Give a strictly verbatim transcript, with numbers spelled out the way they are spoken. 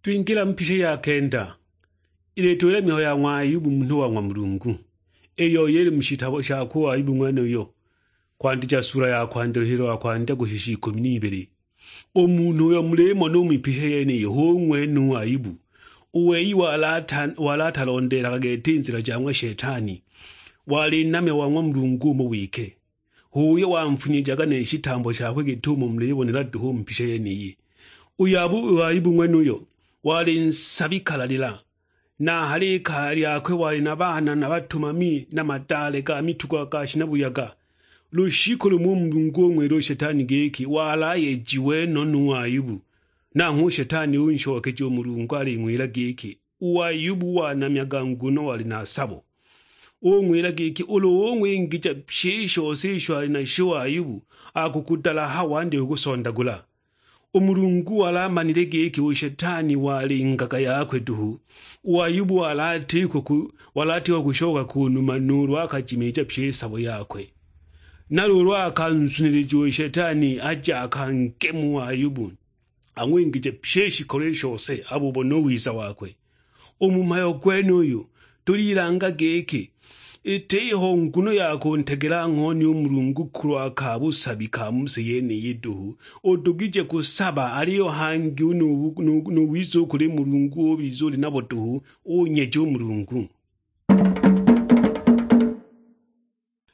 Twingila mu pisha ya kenda, ilituwila mihayo ya ng'wa Ayubu munhu wa ng'wa Mulungu, iyo yili mu shitabo sha ku Ayubu ng'wenuyo, kwandija sula ya kwandya luhilo lwa kwandya kushisha ikumi n'ibili. U munhu uyo mulimona u mu pisha yeniyi hu ng'wenu u Ayubu, u wei wali ata-, wali atalondeelaga gete i nzila ja ng'wa Shetani, wali namya wa ng'wa Mulungu umo wike. H'uyo wamfunyijaga ne shitambo shakwe git'umo mulibonela duhu u mu pisha yeniyi. U Yabu-, u Ayubu ng'wenuyo wali nsabi kalalila, na a ha likaya lyakwe wali na baana na batumami na madaale ga mitugo ga shina buyaga. Lushiku lumo u Mulungu ung'wila u Shetani giki wali ayejiwe no nu Ayubu. Nanghwe u Shetani unshokeja u Mulungu aling'wila giki, u Ayubu wanamyaga nguno wali na sabo. Ung'wila giki, ulu ung'wingija pyi i shose isho ali nasho u Ayubu, akukudalaha wandye kukusondagula. U Mulungu wali amanile giki u Shetani wali ngaka yakwe duhu. U Ayubu wali atiko ku-, wali atiko kushoka ku numa nuulu akajimiija pyi i sabo yakwe. Na luulu akanzunilija u Shetani aje akangemu u Ayubu, ang'wingije pyi i shikolo i shose, abubone u wiza wakwe. U mu mhayo gwenuyu, tulilanga giki, itiho nguno ya kuntegela ng'honi u Mulungu kulwa ka busabi ka mu si yeniyi duhu. Udugije kusaba, aliyo hangi u nu-, nu-, nu wiza u kuli Mulungu ubiza uli nabo duhu, unyeje u Mulungu.